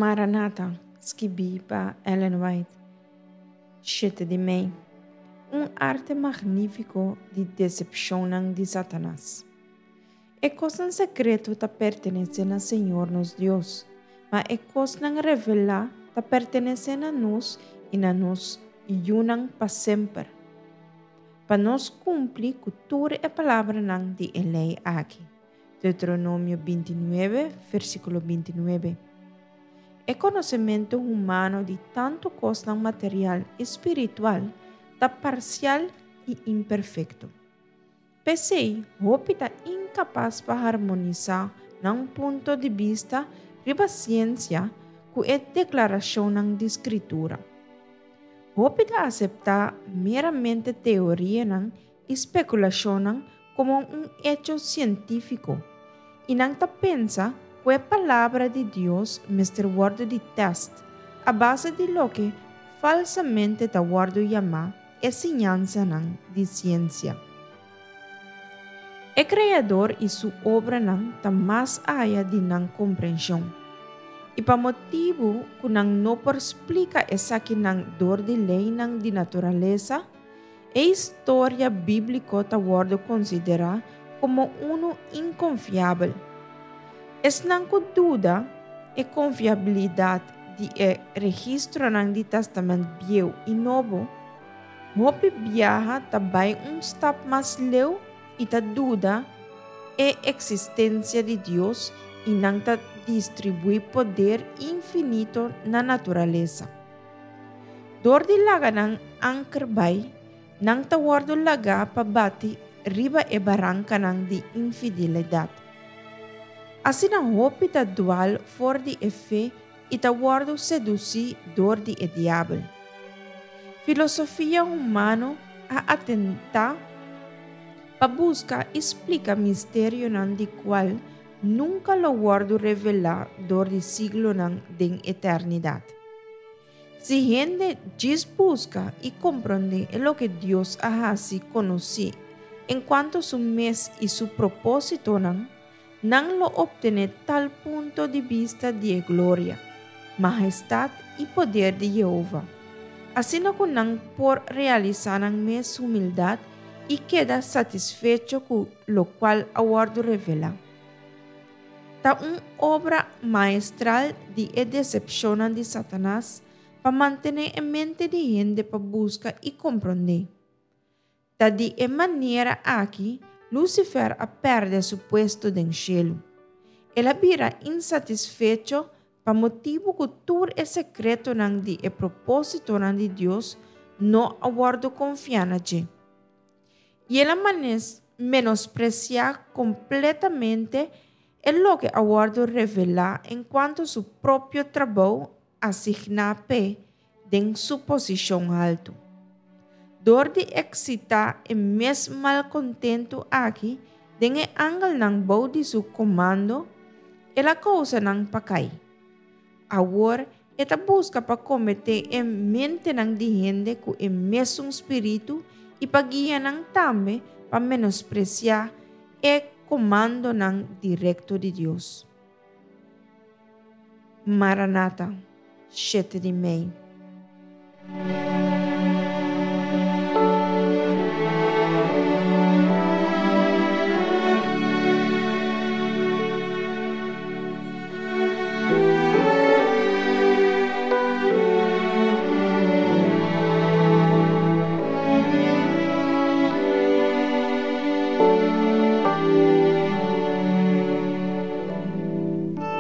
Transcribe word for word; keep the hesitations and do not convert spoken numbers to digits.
Maranata, skibí pa Ellen White, shete di mei. Un arte magnífiko di desepshonnan di Satanas. E kosnan sekreto ta pertenesé na Señor nos Dios, ma e kosnan revelá ta pertenesé na nos i na nos yunan pa semper, pa nos kumpli ku tur e palabranan di e lei aki. Deuteronomio binti nuebe, versíkulo binti nuebe. E konosementu humano di tantu kosnan material i spiritual ta parsial i imperfekto. P'esei, hopi ta inkapas pa harmonisá nan punto di bista riba siensia ku e deklarashonnan di Skritura. Hopi ta aseptá meramente teorianan i spekulashonnan komo un echo sientífiko, i nan ta pensa ku e Palabra di Dios mester wòrdu di tèst a base di loke falsamente ta wòrdu yamá e siñansanan di siensia. E Kreador i su obranan ta mas aya di nan komprenshon, i pa motibu ku nan no por splika esakinan dor di leinan di naturalesa, e historia bíbliko ta wòrdu konsiderá komo unu inkonfiabel. Esnan ku duda e konfiabilidat di e registronan di Tèstamènt Bieu i Nobo, hopi biaha ta bai un stap mas leu i ta duda e eksistensia di Dios i nan ta distribuí poder infinito na naturalesa. Dor di laga nan anker bai, nan ta wòrdu lagá pa bati riba e barankanan di infidelidat. Asina hopi ta dwal for di e fe i ta wòrdu sedusí dor di e diabel. Filosofia humano a atentá pa buska i splika misterionan di kual nunka lo wòrdu revelá dor di siglonan den eternidat. Si hende djis buska i komprondé e loke Dios a hasi konosí enkuanto su mes i su propósitonan, nan lo optené tal punto di bista di e gloria, mahestat i poder di Yehova, asina ku nan por realisá nan mes humildat i keda satisfecho ku lokual a wòrdu revelá. Ta un obra maestral di e desepshonnan di Satanas pa mantené e mente di hende pa buska i komprondé. Ta di e manera aki Lucifer a pèrdè su puesto den shelu. El a bira insatisfecho pa motibu ku tur e sekretonan di e propósitonan di Dios no a wòrdu konfiá na dje. I el a menospresiá kompletamente e loke a wòrdu revelá enkuanto su propio trabou asigná p'e den su posishon haltu. Dor di eksitá e mes malkontentu aki den e angelnan bou di su komando, el a kousa nan pa kai. Awor e ta buska pa kometé e mentenan di hende ku e mesun spiritu i pa guia nan tambe pa menospresiá e komandonan direkto di Dios. Maranata, shete di mei.